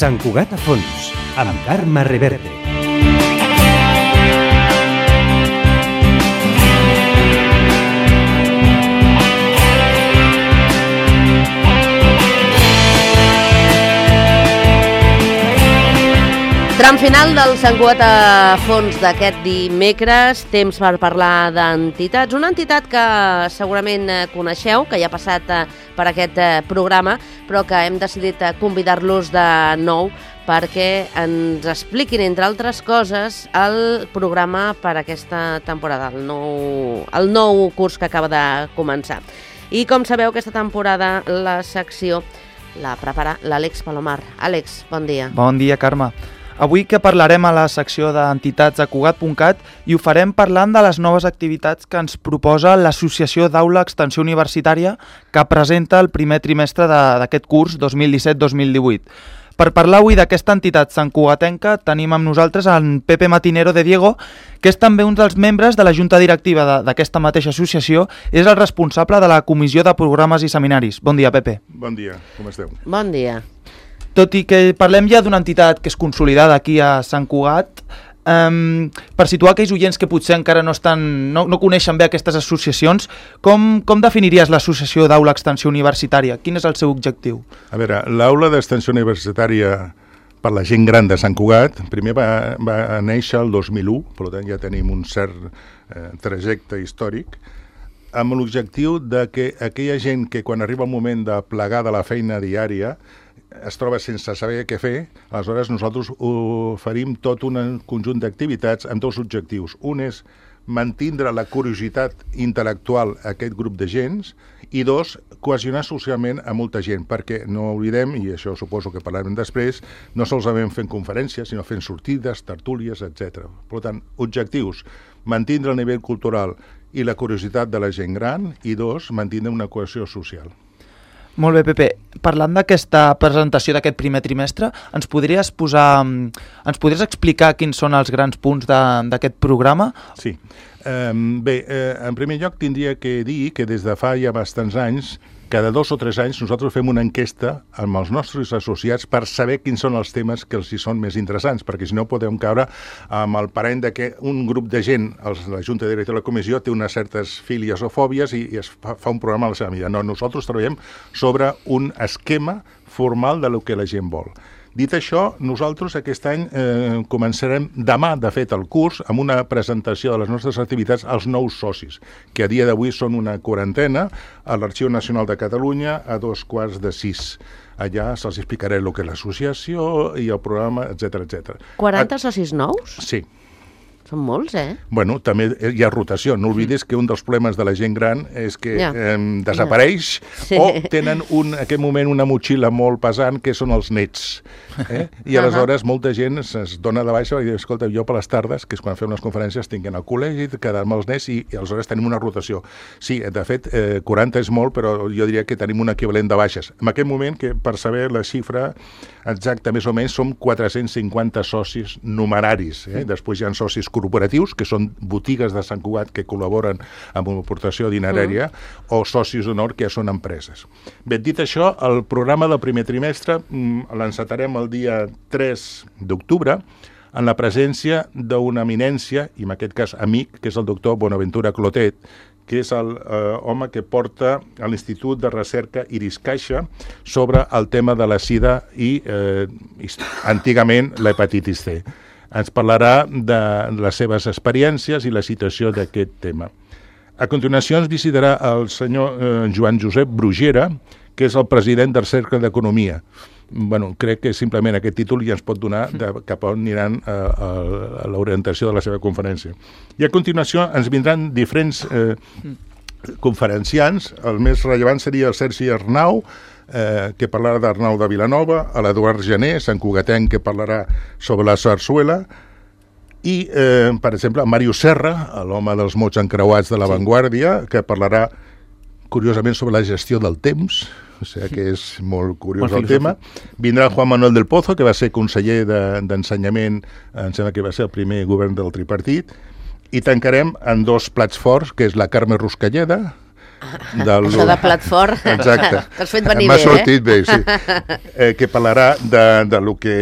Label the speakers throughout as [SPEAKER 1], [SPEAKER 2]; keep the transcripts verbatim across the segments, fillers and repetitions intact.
[SPEAKER 1] Sant Cugat a fons, amb Carme Reverte.
[SPEAKER 2] Tram final del Sant Cugat a fons d'aquest dimecres, temps per parlar d'entitats. Una entitat que segurament coneixeu, que ja ha passat per aquest programa, però que hem decidit convidar-los de nou perquè ens expliquin, entre altres coses, el programa per aquesta temporada, el nou, el nou curs que acaba de començar. I com sabeu, aquesta temporada la secció la prepara l'Àlex Palomar. Àlex, bon dia.
[SPEAKER 3] Bon dia, Carme. Avui que parlarem a la secció d'entitats a Cugat punt cat i ho farem parlant de les noves activitats que ens proposa l'Associació d'Aula Extensió Universitària que presenta el primer trimestre d'aquest curs dos mil disset dos mil divuit. Per parlar avui d'aquesta entitat santcugatenca tenim amb nosaltres en Pepe Matinero de Diego, que és també un dels membres de la Junta Directiva d'aquesta mateixa associació, és el responsable de la Comissió de Programes i Seminaris. Bon dia, Pepe.
[SPEAKER 4] Bon dia, com esteu?
[SPEAKER 2] Bon dia.
[SPEAKER 3] Tot i que parlem ja d'una entitat que és consolidada aquí a Sant Cugat, um, per situar aquells oients que potser encara no, estan, no, no coneixen bé aquestes associacions, com, com definiries l'Associació d'Aula Extensió Universitària? Quin és el seu objectiu?
[SPEAKER 4] A veure, l'Aula d'Extensió Universitària per la gent gran de Sant Cugat primer va, va néixer el dos mil u, per tant ja tenim un cert eh, trajecte històric, amb l'objectiu de que aquella gent que quan arriba el moment de plegar de la feina diària es troba sense saber què fer, aleshores nosaltres oferim tot un conjunt d'activitats amb dos objectius. Un és mantindre la curiositat intel·lectual a aquest grup de gent i dos, cohesionar socialment a molta gent, perquè no oblidem, i això suposo que parlarem després, no solament fent conferències, sinó fent sortides, tertúlies, etcètera. Per tant, objectius, mantindre el nivell cultural i la curiositat de la gent gran i dos, mantindre una cohesió social.
[SPEAKER 3] Molt bé, Pepe. Parlant d'aquesta presentació d'aquest primer trimestre, ens podries posar, ens podries explicar quins són els grans punts d'aquest programa?
[SPEAKER 4] Sí. Um, bé, eh, en primer lloc tindria que dir que des de fa ja bastants anys, cada dos o tres anys nosaltres fem una enquesta amb els nostres associats per saber quins són els temes que els hi són més interessants, perquè si no podem caure amb el parany de que un grup de gent, els, la Junta Directiva de la Comissió, té unes certes fílies o fòbies i, i es fa, fa un programa a la seva mida. No, nosaltres treballem sobre un esquema formal de lo que la gent vol. Dit això, nosaltres aquest any eh, començarem demà, de fet, el curs, amb una presentació de les nostres activitats als nous socis, que a dia d'avui són una quarantena, a l'Arxiu Nacional de Catalunya, a dos quarts de sis. Allà se'ls explicaré el que és l'associació i el programa, etcètera, etcètera.
[SPEAKER 2] quaranta socis nous?
[SPEAKER 4] Sí.
[SPEAKER 2] Són molts, eh?
[SPEAKER 4] Bueno, també hi ha rotació. No oblidis que un dels problemes de la gent gran és que
[SPEAKER 2] Ja.
[SPEAKER 4] eh, desapareix
[SPEAKER 2] Sí.
[SPEAKER 4] o tenen un, en aquest moment una motxilla molt pesant que són els nets. Eh? I aleshores molta gent es dona de baixa i diu, escolta, jo per les tardes, que és quan fem les conferències, tinc al col·legi, quedar-me els nets i, i aleshores tenim una rotació. Sí, de fet, eh, quaranta és molt, però jo diria que tenim un equivalent de baixes. En aquest moment, que per saber la xifra exacta, més o menys, som quatre-cents cinquanta socis numeraris. Eh? Després hi ha socis corporatius, que són botigues de Sant Cugat que col·laboren amb una aportació dinerària, mm. o socis d'honor, que són empreses. Bé, dit això, el programa del primer trimestre mm, l'encetarem el dia tres d'octubre en la presència d'una eminència, i en aquest cas amic, que és el doctor Bonaventura Clotet, que és el eh, home que porta a l'Institut de Recerca Iris Caixa sobre el tema de la sida i, eh, antigament, l'hepatitis C. Ens parlarà de les seves experiències i la situació d'aquest tema. A continuació ens visitarà el senyor eh, Joan Josep Brugera, que és el president del Cercle d'Economia. Bueno, crec que simplement aquest títol ja ens pot donar de cap on aniran a, a, a l'orientació de la seva conferència. I a continuació ens vindran diferents eh, conferenciants. El més rellevant seria el Sergi Arnau, eh, que parlarà d'Arnau de Vilanova, a l'Eduard Gené, Sant Cugatenc, que parlarà sobre la sarsuela, i, eh, per exemple, Màrius Serra, l'home dels mots encreuats de l'avantguàrdia, que parlarà, curiosament, sobre la gestió del temps, o sigui que és molt curiós molt el tema. Vindrà Juan Manuel del Pozo, que va ser conseller d'ensenyament, de, em sembla que va ser el primer govern del tripartit, i tancarem en dos plats forts, que és la Carme Ruscalleda, Del...
[SPEAKER 2] Això de plat fort.
[SPEAKER 4] Exacte.
[SPEAKER 2] T'has fet venir
[SPEAKER 4] M'ha
[SPEAKER 2] bé,
[SPEAKER 4] sortit
[SPEAKER 2] eh?
[SPEAKER 4] bé, sí. Eh, que parlarà de, de lo que...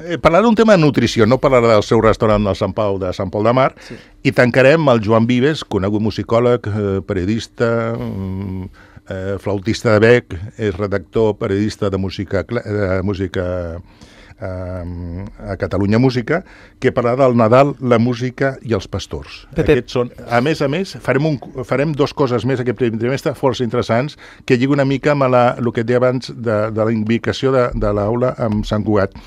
[SPEAKER 4] Eh, parlarà d'un tema de nutrició, no parlarà del seu restaurant del Sant Pau de Sant Pol de Mar, sí. I tancarem el Joan Vives, conegut musicòleg, eh, periodista, eh, flautista de bec, és redactor, periodista de música... De música a Catalunya Música, que parlarà del Nadal, la música i els pastors.
[SPEAKER 3] Pepe.
[SPEAKER 4] Aquests són, a més a més, farem, un, farem dos coses més aquest primer trimestre força interessants, que lliga una mica amb la, el que et deia abans de, de la invicació de, de l'aula amb Sant Cugat.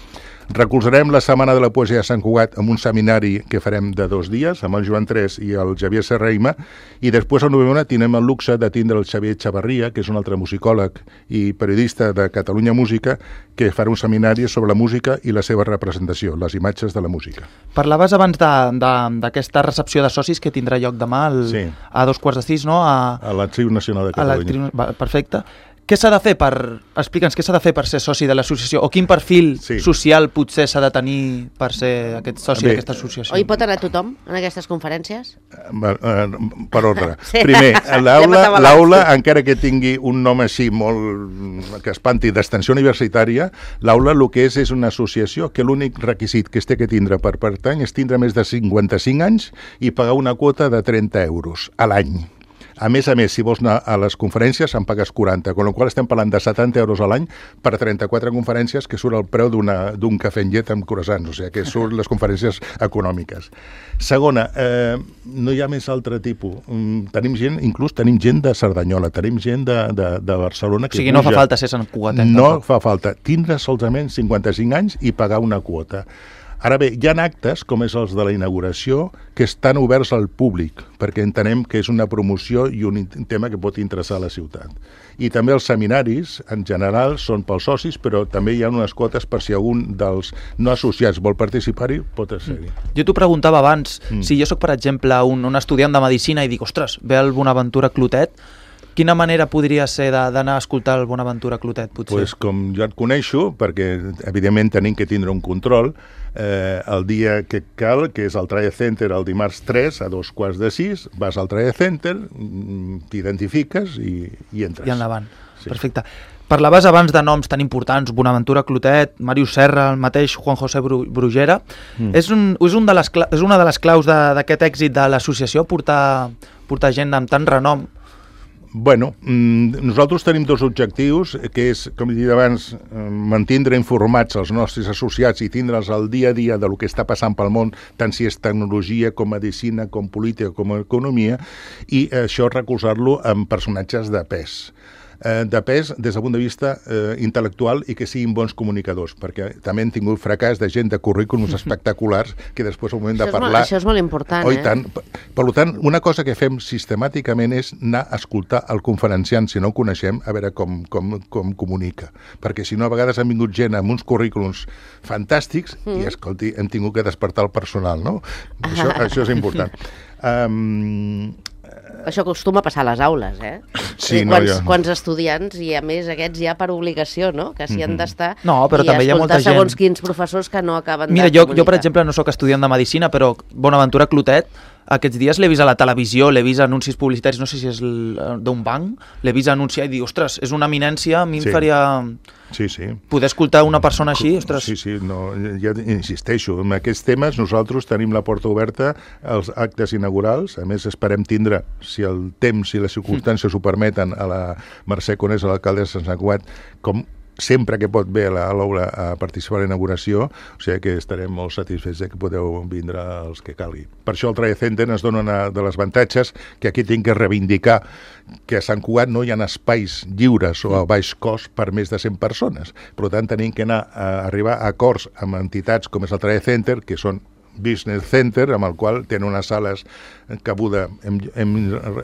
[SPEAKER 4] Recolzarem la Setmana de la Poesia de Sant Cugat amb un seminari que farem de dos dies, amb el Joan Tres i el Xavier Serraima, i després al novembre tindrem el luxe de tindre el Xavier Xavarria, que és un altre musicòleg i periodista de Catalunya Música, que farà un seminari sobre la música i la seva representació, les imatges de la música.
[SPEAKER 3] Parlaves abans d'aquesta recepció de socis que tindrà lloc demà el,
[SPEAKER 4] sí.
[SPEAKER 3] a dos quarts de sis, no? A,
[SPEAKER 4] a l'Arxiu Nacional de Catalunya.
[SPEAKER 3] Va, perfecte. Què s'ha de fer per... Explica'ns què s'ha de fer per ser soci de l'associació, o quin perfil sí. social potser s'ha de tenir per ser aquest soci d'aquesta associació?
[SPEAKER 2] O hi pot anar tothom en aquestes conferències?
[SPEAKER 4] Per, per ordre. Sí. Primer, l'aula, encara que tingui un nom així molt que espanti d'extensió universitària, l'aula el que és és una associació que l'únic requisit que es té que tindre per pertany és tindre més de cinquanta-cinc anys i pagar una quota de trenta euros a l'any. A més a més, si vols anar a les conferències, en pagues quaranta, amb la qual estem parlant de setanta euros a l'any per trenta-quatre conferències, que surt el preu d'un cafè en llet amb croissants, o sigui, que surt les conferències econòmiques. Segona, eh, no hi ha més altre tipus. Tenim gent, inclús tenim gent de Cerdanyola, tenim gent de, de, de Barcelona... Que
[SPEAKER 3] o sigui,
[SPEAKER 4] puja.
[SPEAKER 3] No fa falta ser Sant Cugatet.
[SPEAKER 4] No tampoc. Fa falta. Tindre solament cinquanta-cinc anys i pagar una quota. Ara bé, hi ha actes, com és els de la inauguració, que estan oberts al públic, perquè entenem que és una promoció i un tema que pot interessar a la ciutat. I també els seminaris, en general, són pels socis, però també hi ha unes quotes per si algun dels no associats vol participar-hi, pot ser-hi.
[SPEAKER 3] Jo t'ho preguntava abans, mm. si jo sóc, per exemple, un, un estudiant de Medicina i dic, ostres, ve el Bonaventura Clotet, quina manera podria ser d'anar a escoltar el Bonaventura Clotet, potser?
[SPEAKER 4] Pues com jo et coneixo, perquè evidentment tenim que tindre un control, eh, el dia que cal, que és al Trade Center el dimarts tres a dos quarts de sis, vas al Trade Center, t'identifiques i, i entres.
[SPEAKER 3] I endavant, sí. Perfecte. Parlaves abans de noms tan importants, Bonaventura Clotet, Màrius Serra, el mateix Juan José Brugera. Mm. És, un, és, un de les, és una de les claus d'aquest èxit de l'associació, portar, portar gent amb tant renom.
[SPEAKER 4] Bueno, nosaltres tenim dos objectius, que és, com he dit abans, mantindre informats els nostres associats i tindre'ls al dia a dia de lo que està passant pel món, tant si és tecnologia, com medicina, com política, com economia, i això recolzar-lo amb personatges de pes. de pes des del punt de vista eh, intel·lectual i que siguin bons comunicadors, perquè també hem tingut fracàs de gent de currículums espectaculars que després al moment de parlar...
[SPEAKER 2] Molt, això és molt important,
[SPEAKER 4] oh,
[SPEAKER 2] eh?
[SPEAKER 4] Tant. Per tant, una cosa que fem sistemàticament és anar a escoltar el conferenciant, si no el coneixem, a veure com, com, com comunica. Perquè si no, a vegades han vingut gent amb uns currículums fantàstics mm. i, escolti, hem tingut que despertar el personal, no? Això, això és important. Um,
[SPEAKER 2] Això acostuma a passar a les aules, eh?
[SPEAKER 4] Sí, no,
[SPEAKER 2] quants,
[SPEAKER 4] ja.
[SPEAKER 2] quants estudiants, i a més aquests ja per obligació, no? Que s'hi han d'estar
[SPEAKER 3] no, però
[SPEAKER 2] i
[SPEAKER 3] també hi ha molta gent...
[SPEAKER 2] segons quins professors que no acaben
[SPEAKER 3] Mira,
[SPEAKER 2] de
[SPEAKER 3] jo,
[SPEAKER 2] comunicar.
[SPEAKER 3] jo, per exemple, no sóc estudiant de Medicina, però Bonaventura Clotet, aquests dies l'he vist a la televisió, l'he vist anuncis publicitaris, no sé si és d'un banc, l'he vist anunciar i dir, ostres, és una eminència, a mi em
[SPEAKER 4] Sí.
[SPEAKER 3] faria...
[SPEAKER 4] Sí, sí.
[SPEAKER 3] Poder escoltar una persona així, ostres...
[SPEAKER 4] Sí, sí, no, ja insisteixo, en aquests temes nosaltres tenim la porta oberta als actes inaugurals, a més esperem tindre, si el temps i les circumstàncies ho permeten, a la Mercè Conés, a l'alcaldessa de Sant Cugat, com sempre que pot ve a l'aula a participar a la inauguració, o sigui que estarem molt satisfets que podeu vindre els que calgui. Per això el Trade Center ens dona una de les avantatges que aquí tinc que reivindicar que a Sant Cugat no hi ha espais lliures o a baix cost per més de cent persones. Per tant, tenim que anar a arribar a acords amb entitats com és el Trade Center, que són Business Center, amb el qual tenen unes sales cabuda, hem, hem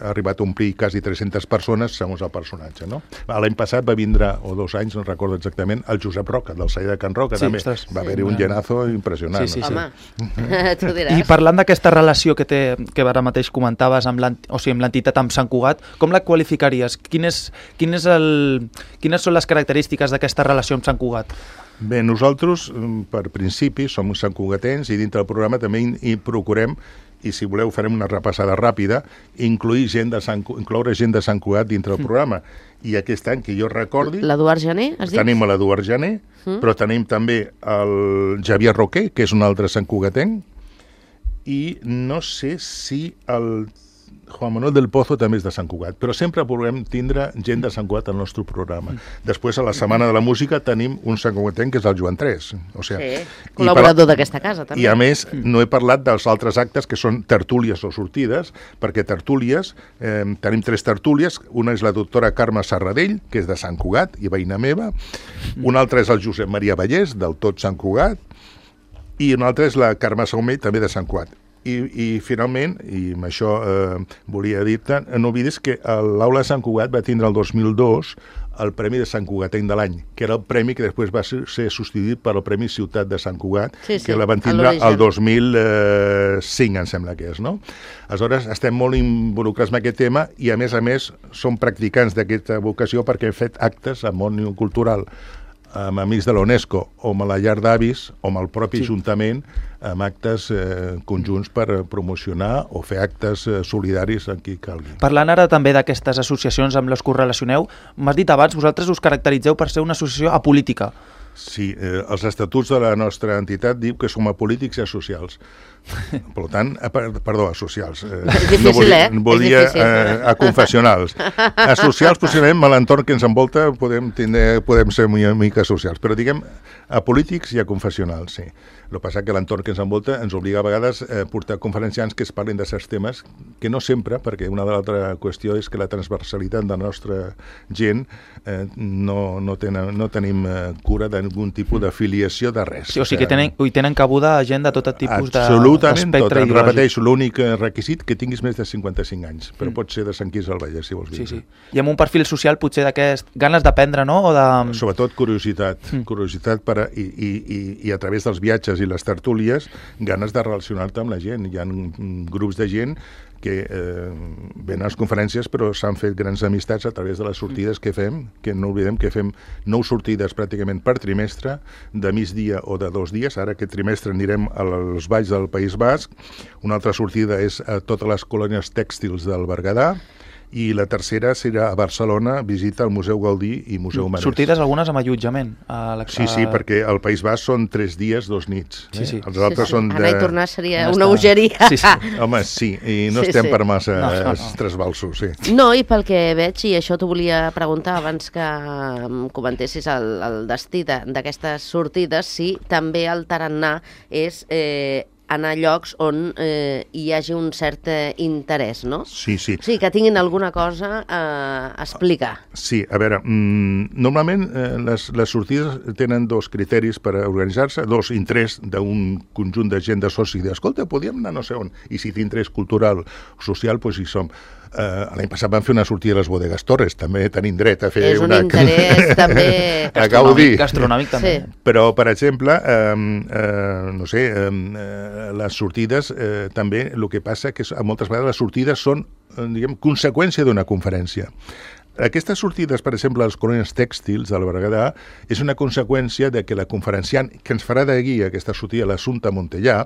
[SPEAKER 4] arribat a omplir quasi tres-centes persones segons el personatge, no? L'any passat va vindre, o dos anys, no recordo exactament, el Josep Roca, del Celler de Can Roca,
[SPEAKER 3] Sí,
[SPEAKER 4] també
[SPEAKER 3] ostres,
[SPEAKER 4] va
[SPEAKER 3] sí,
[SPEAKER 4] haver-hi un
[SPEAKER 3] clar.
[SPEAKER 4] llenazo impressionant.
[SPEAKER 3] Sí, sí,
[SPEAKER 4] no?
[SPEAKER 2] Home, tu diràs.
[SPEAKER 3] I parlant d'aquesta relació que té, que ara mateix comentaves amb l'ent- o sigui, amb l'entitat amb Sant Cugat, com la qualificaries? Quin és, quin és el, quines són les característiques d'aquesta relació amb Sant Cugat?
[SPEAKER 4] Bé, nosaltres, per principi, som santcugatens i dintre del programa també hi procurem, i si voleu farem una repassada ràpida, incloure gent de Sant, incloure gent de Sant Cugat dintre del programa. I aquest any, que jo recordi...
[SPEAKER 2] L'Eduard Gené, has dit?
[SPEAKER 4] Tenim l'Eduard Gené, mm. però tenim també el Javier Roquer, que és un altre santcugatenc, i no sé si el Juan Manuel del Pozo també és de Sant Cugat, però sempre volem tindre gent de Sant Cugat al nostre programa. Després, a la Setmana de la Música, tenim un santcugatenc que és el Joan Tres. O sigui,
[SPEAKER 2] sí, col·laborador d'aquesta casa, també.
[SPEAKER 4] I a més, no he parlat dels altres actes que són tertúlies o sortides, perquè tertúlies, eh, tenim tres tertúlies, una és la doctora Carme Serradell, que és de Sant Cugat i veïna meva, una altra és el Josep Maria Vallès, del tot Sant Cugat, i una altra és la Carme Saumell, també de Sant Cugat. I, i finalment, i amb això eh, volia dir-te, no oblidis que l'Aula de Sant Cugat va tindre el dos mil dos el Premi de Sant Cugatenc de l'any, que era el premi que després va ser, ser substituït per el Premi Ciutat de Sant Cugat, sí, sí, que la van tindre el dos mil cinc, em sembla que és, no? Aleshores, estem molt involucrats en aquest tema i, a més a més, som practicants d'aquesta vocació perquè hem fet actes al món cultural amb amics de l'UNESCO o amb la llar d'avis o amb el propi sí. Ajuntament amb actes eh, conjunts per promocionar o fer actes eh, solidaris en qui calgui.
[SPEAKER 3] Parlant ara també d'aquestes associacions amb les que us relacioneu, m'has dit abans, vosaltres us caracteritzeu per ser una associació apolítica.
[SPEAKER 4] Sí, eh, els estatuts de la nostra entitat diu que som apolítics i asocials. Per tant, eh, perdó, asocials. Eh,
[SPEAKER 2] és difícil, no volia, eh?
[SPEAKER 4] Volia eh, a confessionals. Asocials, possiblement, a l'entorn que ens envolta podem, tindre, podem ser una mica socials, però diguem apolítics i a confessionals, sí. El que passa que l'entorn que ens envolta ens obliga a vegades a portar conferenciants que es parlin de certs temes, que no sempre, perquè una de l'altra qüestió és que la transversalitat de la nostra gent eh, no, no, tenen, no tenim eh, cura d'algun tipus d'afiliació de res.
[SPEAKER 3] Sí, o sigui que tenen, hi tenen cabuda gent de tot tipus d'espectre
[SPEAKER 4] ideològic. Repeteixo, l'únic requisit que tinguis més de cinquanta-cinc anys, però mm. pot ser de Sant Quirze del Vallès, si vols dir.
[SPEAKER 3] Sí, sí. I amb un perfil social potser d'aquest ganes d'aprendre, no? O de...
[SPEAKER 4] Sobretot curiositat, mm. curiositat per a, i, i, i, i a través dels viatges i les tertúlies, ganes de relacionar-te amb la gent. Hi ha grups de gent que eh, venen a les conferències però s'han fet grans amistats a través de les sortides que fem, que no oblidem que fem nou sortides pràcticament per trimestre, de migdia o de dos dies. Ara aquest trimestre anirem als valls del País Basc, una altra sortida és a totes les colònies tèxtils del Berguedà, i la tercera serà a Barcelona, visita al Museu Gaudí i Museu Marès.
[SPEAKER 3] Sortides algunes amb allotjament. A la...
[SPEAKER 4] Sí, sí, perquè al País Basc són tres dies, dos nits.
[SPEAKER 3] Sí, sí.
[SPEAKER 4] Els altres
[SPEAKER 2] sí, sí.
[SPEAKER 4] són de...
[SPEAKER 2] Anar i tornar seria una bogeria.
[SPEAKER 3] Sí, sí.
[SPEAKER 4] Home, sí, i no sí, estem sí. per massa no, no, no. trasbalsos, sí.
[SPEAKER 2] No, i pel que veig, i això t'ho volia preguntar abans que comentessis el, el destí d'aquestes sortides, si també el tarannà és... Eh, anar a llocs on eh, hi hagi un cert eh, interès, no?
[SPEAKER 4] Sí, sí.
[SPEAKER 2] Sí, que tinguin alguna cosa a explicar.
[SPEAKER 4] Sí, a veure, mmm, normalment eh, les, les sortides tenen dos criteris per organitzar-se, dos interès d'un conjunt de gent de socis, d'escolta, podíem anar no sé on, i si té interès cultural o social, doncs hi som. Uh, L'any passat vam fer una sortida a les Bodegues Torres, també tenim dret a fer
[SPEAKER 2] és un
[SPEAKER 4] una...
[SPEAKER 2] interès també...
[SPEAKER 4] a gaudir.
[SPEAKER 3] Gastronòmic també.
[SPEAKER 2] Sí.
[SPEAKER 4] Però, per exemple, um, uh, no sé, um, uh, les sortides uh, també, el que passa que moltes vegades les sortides són, uh, diguem, conseqüència d'una conferència. Aquestes sortides, per exemple, als colònies tèxtils del Berguedà, és una conseqüència de que la conferenciant que ens farà de guia aquesta sortida, l'Assumpta Montellà,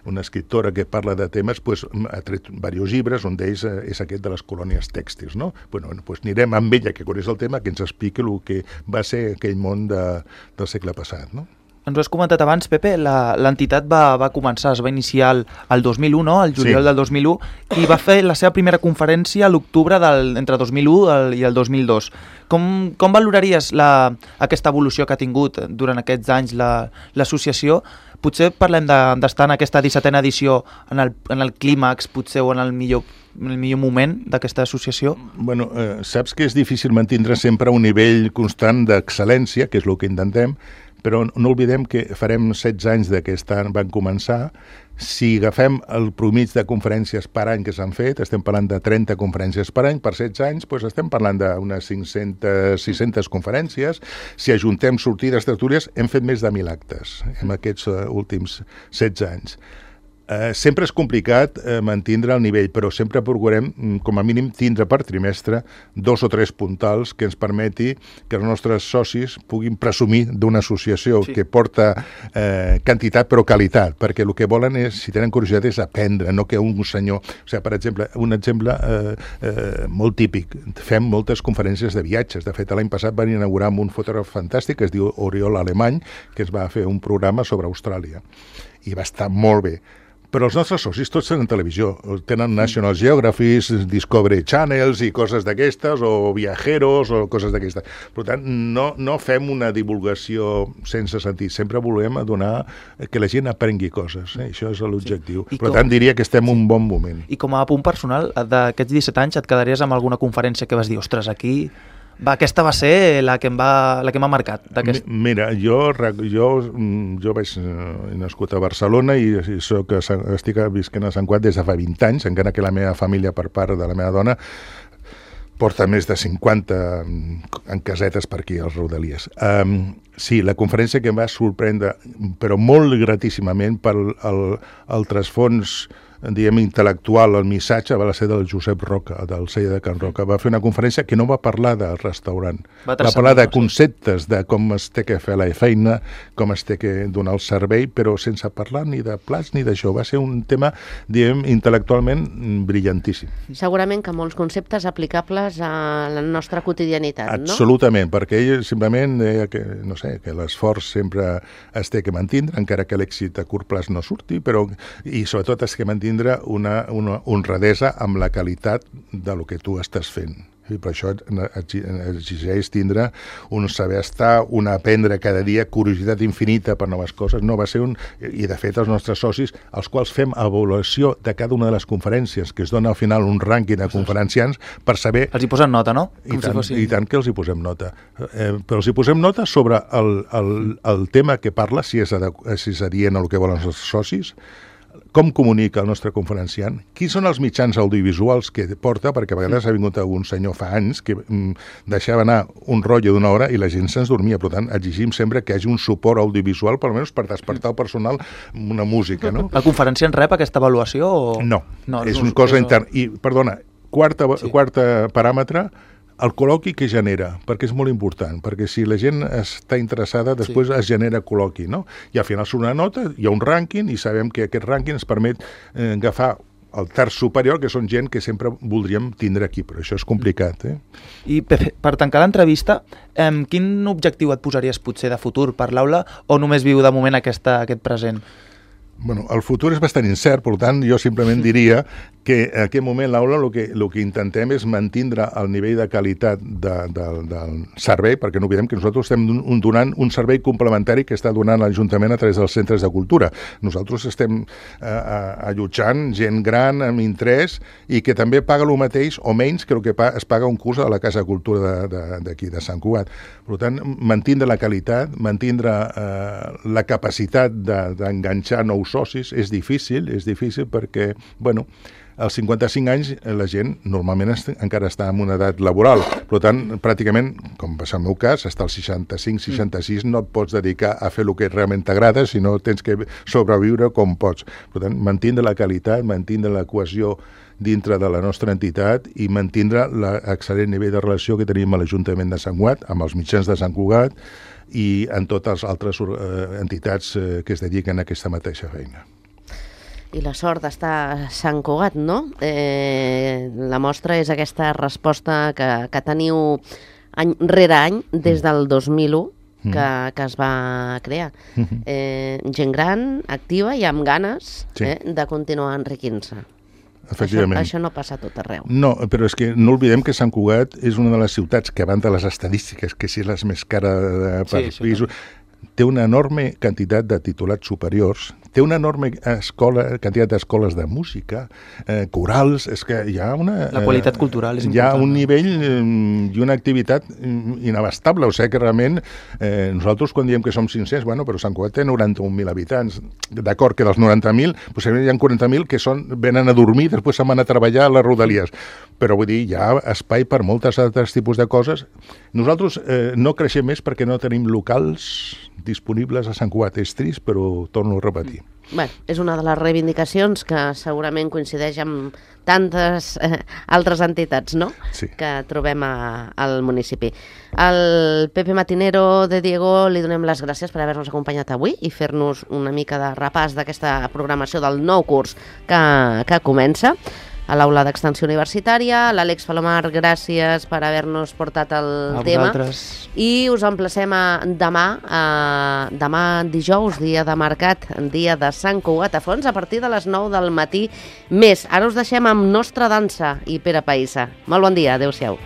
[SPEAKER 4] una escriptora que parla de temes, pues, ha tret diversos llibres, un d'ells és aquest de les colònies tèxtils, no? Bueno, pues anirem amb ella, que coneix el tema, que ens expliqui el que va ser aquell món de, del segle passat, no?
[SPEAKER 3] Ens ho has comentat abans, Pepe, l'entitat va, va començar, es va iniciar el, el dos mil u, no? El juliol sí. del dos mil u, i va fer la seva primera conferència a l'octubre entre dos mil u i el dos mil dos. Com, com valoraries la, aquesta evolució que ha tingut durant aquests anys l'associació? La, potser parlem d'estar de, en aquesta dissetena edició en el, en el clímax, potser, o en el millor, en el millor moment d'aquesta associació?
[SPEAKER 4] Bueno, eh, saps que és difícil mantindre sempre un nivell constant d'excel·lència, que és el que intentem, però no oblidem que farem setze anys d'aquest any van començar. Si agafem el promig de conferències per any que s'han fet, estem parlant de trenta conferències per any, per setze anys, doncs estem parlant d'unes cinc-centes, sis-centes conferències. Si ajuntem sortides, tertúlies, hem fet més de mil actes en aquests últims setze anys. Eh, sempre és complicat eh, mantindre el nivell, però sempre procurem, com a mínim, tindre per trimestre dos o tres puntals que ens permeti que els nostres socis puguin presumir d'una associació sí. que porta eh, quantitat però qualitat, perquè el que volen és, si tenen curiositat, és aprendre, no que un senyor... O sigui, per exemple, un exemple eh, eh, molt típic, fem moltes conferències de viatges. De fet, l'any passat van inaugurar amb un fotògraf fantàstic que es diu Oriol Alemany, que es va fer un programa sobre Austràlia. I va estar molt bé. Però els nostres socis tots tenen televisió, tenen National Geographic, Discovery Channels i coses d'aquestes, o Viajeros, o coses d'aquestes. Per tant, no, no fem una divulgació sense sentit, sempre volem donar que la gent aprengui coses, eh? Això és l'objectiu. Sí. Per com... tant, diria que estem en un bon moment.
[SPEAKER 3] I com a punt personal, d'aquests disset anys et quedaries amb alguna conferència que vas dir, ostres, aquí... Va, aquesta va ser la que em va, la que m'ha marcat.
[SPEAKER 4] Mira, jo, jo, jo vaig he nascut a Barcelona i, i soc, estic visquent a Sant Cugat des de fa vint anys, encara que la meva família, per part de la meva dona, porta més de cinquanta en casetes per aquí, als Rodalies. Um, sí, la conferència que em va sorprendre, però molt gratíssimament pel el, el trasfons diguem, intel·lectual, el missatge va ser del Josep Roca, del celler de Can Roca. Va fer una conferència que no va parlar del restaurant, va, va parlar de conceptes, de com es té que fer la feina, com es té que donar el servei, però sense parlar ni de plats ni d'això. Va ser un tema, diguem, intel·lectualment brillantíssim.
[SPEAKER 2] Segurament que molts conceptes aplicables a la nostra quotidianitat, no?
[SPEAKER 4] Absolutament, perquè ell simplement deia que, no sé, que l'esforç sempre es té que mantindre, encara que l'èxit a curt plaç no surti, però, i sobretot es que mantindre tindre una, una honradesa amb la qualitat de lo que tu estàs fent. I per això exigeix tindre un saber estar, un aprendre cada dia, curiositat infinita per noves coses. No, va ser un... I de fet els nostres socis, als quals fem avaluació de cada una de les conferències, que es dona al final un rànquing de conferenciants per saber...
[SPEAKER 3] Els hi posen nota, no?
[SPEAKER 4] I tant, si fossin... I tant que els hi posem nota. Eh, però els hi posem nota sobre el, el, el tema que parla, si és, si és adient al que volen els socis, com comunica el nostre conferenciant, quins són els mitjans audiovisuals que porta, perquè a vegades ha vingut algun senyor fa anys que mm, deixava anar un rotllo d'una hora i la gent se'ns dormia. Per tant, exigim sempre que hi hagi un suport audiovisual, per almenys per despertar el personal una música, no?
[SPEAKER 3] El conferenciant rep aquesta avaluació? O...
[SPEAKER 4] No, no, és una cosa interna. I, perdona, quarta, sí. quarta paràmetre, el col·loqui que genera, perquè és molt important, perquè si la gent està interessada, després sí. es genera col·loqui, no? I al final surt una nota, hi ha un rànquing, i sabem que aquest rànquing ens permet eh, agafar el terç superior, que són gent que sempre voldríem tindre aquí, però això és complicat. Eh?
[SPEAKER 3] I per, per tancar l'entrevista, eh, quin objectiu et posaries potser de futur per l'aula, o només viu de moment aquesta, aquest present?
[SPEAKER 4] Bueno, el futur és bastant incert, per tant, jo simplement diria que en aquest moment l'aula el que, el que intentem és mantindre el nivell de qualitat de, de, del servei, perquè no oblidem que nosaltres estem donant un servei complementari que està donant l'Ajuntament a través dels centres de cultura. Nosaltres estem eh, allotjant gent gran amb interès i que també paga el mateix o menys que el que es paga un curs a la Casa de Cultura d'aquí, de, de Sant Cugat. Per tant, mantindre la qualitat, mantindre eh, la capacitat d'enganxar de, nous socis és difícil, és difícil perquè, bueno, als cinquanta-cinc anys la gent normalment est encara està en una edat laboral. Per tant, pràcticament, com va ser el meu cas, fins als seixanta-cinc seixanta-sis no et pots dedicar a fer el que realment t'agrada, sinó tens que sobreviure com pots. Per tant, mantindre la qualitat, mantindre la cohesió dintre de la nostra entitat i mantindre l'excel·lent nivell de relació que tenim a l'Ajuntament de Sant Cugat, amb els mitjans de Sant Cugat i en totes les altres eh, entitats eh, que es dediquen a aquesta mateixa feina.
[SPEAKER 2] I la sort d'estar a Sant Cugat, no? Eh, la mostra és aquesta resposta que, que teniu any rere any, des del dos mil u, que, que es va crear. Eh, gent gran, activa i amb ganes sí. eh, de continuar enriquint-se.
[SPEAKER 4] Efectivament.
[SPEAKER 2] Això, això no passa a tot arreu.
[SPEAKER 4] No, però és que no oblidem que Sant Cugat és una de les ciutats que, abans de les estadístiques, que si és la més cara per sí, pisos, té una enorme quantitat de titulats superiors, té una enorme escola, quantitat d'escoles de música, eh, corals, és que hi ha una...
[SPEAKER 3] La qualitat eh, cultural és important.
[SPEAKER 4] Hi ha un nivell eh, i una activitat inabastable, o sigui que realment eh, nosaltres quan diem que som cinc-cents, bueno, però Sant Cugat té noranta-un mil habitants, d'acord que dels noranta mil, possiblement hi ha quaranta mil que són, venen a dormir, després se'n van a treballar a les Rodalies, però vull dir, hi ha espai per moltes altres tipus de coses. Nosaltres eh, no creixem més perquè no tenim locals disponibles a Sant Cugat. És trist, però torno a repetir. aquí.
[SPEAKER 2] Bé, és una de les reivindicacions que segurament coincideix amb tantes eh, altres entitats, no?,
[SPEAKER 4] sí.
[SPEAKER 2] que trobem a, al municipi. Al Pepe Matinero de Diego li donem les gràcies per haver-nos acompanyat avui i fer-nos una mica de repàs d'aquesta programació del nou curs que, que comença a l'Aula d'Extensió Universitària. L'Àlex Palomar, gràcies per haver-nos portat el
[SPEAKER 3] A
[SPEAKER 2] tema.
[SPEAKER 3] vosaltres.
[SPEAKER 2] I us emplacem a demà, a, demà dijous, dia de mercat, dia de Sant Cugat a Fonts, a partir de les nou del matí més. Ara us deixem amb Nostra Dansa i Pere Païssa. Molt bon dia, adeu-siau.